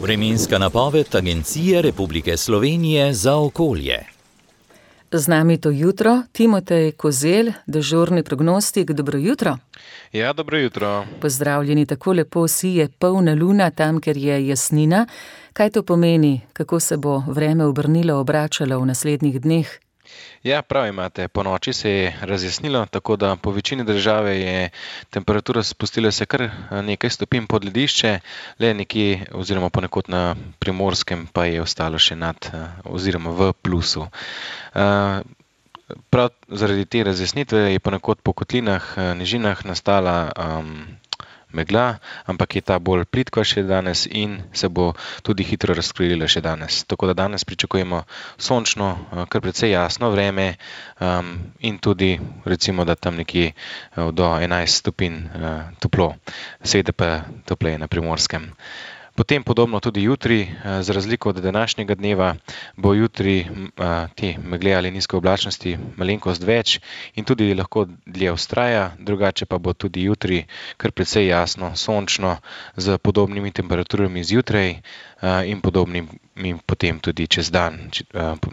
Vremenska napoved Agencije Republike Slovenije za okolje. Z nami to jutro Timotej Kozelj, dežurni prognostik. Dobro jutro. Ja, dobro jutro. Pozdravljeni, tako lepo sije polna luna tam, kjer je jasnina. Kaj to pomeni, kako se bo vreme obrnilo, obračalo v naslednjih dneh? Ja, prav imate. Po noči se je razjasnilo, tako da po večini države je temperatura spustila se kar nekaj stopinj pod ledišče, le nekje oziroma ponekod na Primorskem pa je ostalo še nad oziroma v plusu. Prav zaradi te razjasnitve je ponekod po kotlinah, nižinah nastala megla, ampak je ta bolj plitka še danes in se bo tudi hitro razkrila še danes. Tako da danes pričakujemo sončno, kar precej jasno vreme in tudi recimo, da tam nekje do 11 stopinj toplo, seveda pa topleje na Primorskem. Potem podobno tudi jutri, za razliko od današnjega dneva, bo jutri te megle ali nizke oblačnosti malenkost več in tudi lahko dlje vztraja, drugače pa bo tudi jutri kar precej jasno, sončno, z podobnimi temperaturami zjutraj in podobnimi potem tudi čez dan,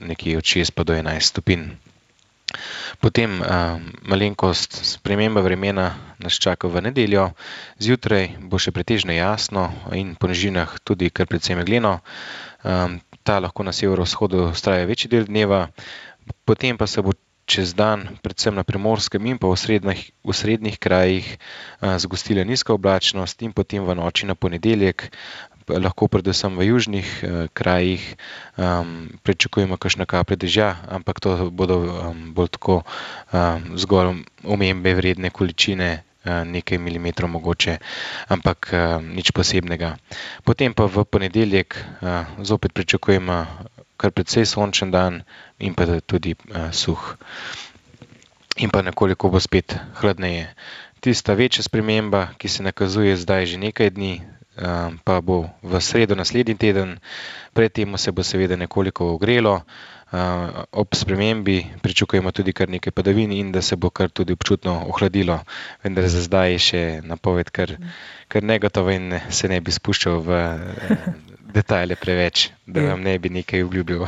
nekje od 6 pa do 11 stopinj. Potem malenkost sprememba vremena nas čaka v nedeljo. Zjutraj bo še pretežno jasno in po nižinah tudi kar precej megleno. Ta lahko na severovzhodu vztraja večji del dneva, potem pa se bo čez dan, predvsem na Primorskem in pa v srednjih krajih, zgostila nizka oblačnost in potem v noči na ponedeljek lahko predvsem v južnih krajih pričakujemo kakšna kaplja dežja, ampak to bodo bolj tako zgolj omembe vredne količine, nekaj milimetrov mogoče, ampak nič posebnega. Potem pa v ponedeljek zopet pričakujemo kar precej sončen dan in pa tudi suh. In pa nekoliko bo spet hladneje. Tista večja sprememba, ki se nakazuje zdaj že nekaj dni, pa bo v sredo naslednji teden. Pred temu se bo seveda nekoliko ogrelo, ob spremembi pričakujemo tudi kar nekaj padavin in da se bo kar tudi občutno ohladilo, vendar za zdaj je še napoved kar negotova in se ne bi spuščal v detajle preveč, da vam ne bi nekaj obljubil.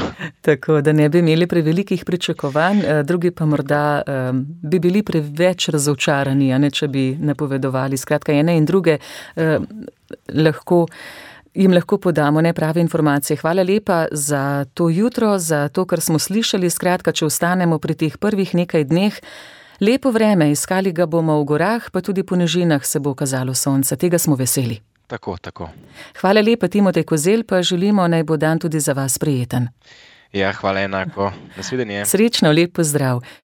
Tako, da ne bi imeli prevelikih pričakovanj, drugi pa morda bi bili preveč razočarani, če bi napovedovali. Skratka, ene in druge jim lahko podamo neprave informacije. Hvala lepa za to jutro, za to, kar smo slišali. Skratka, če ostanemo pri teh prvih nekaj dneh, lepo vreme, iskali ga bomo v gorah, pa tudi po nižinah se bo kazalo sonce. Tega smo veseli. Tako. Hvala lepa, Timotej Kozelj, pa želimo, naj bo dan tudi za vas prijeten. Ja, hvala enako. Nasvidenje. Srečno, lep pozdrav.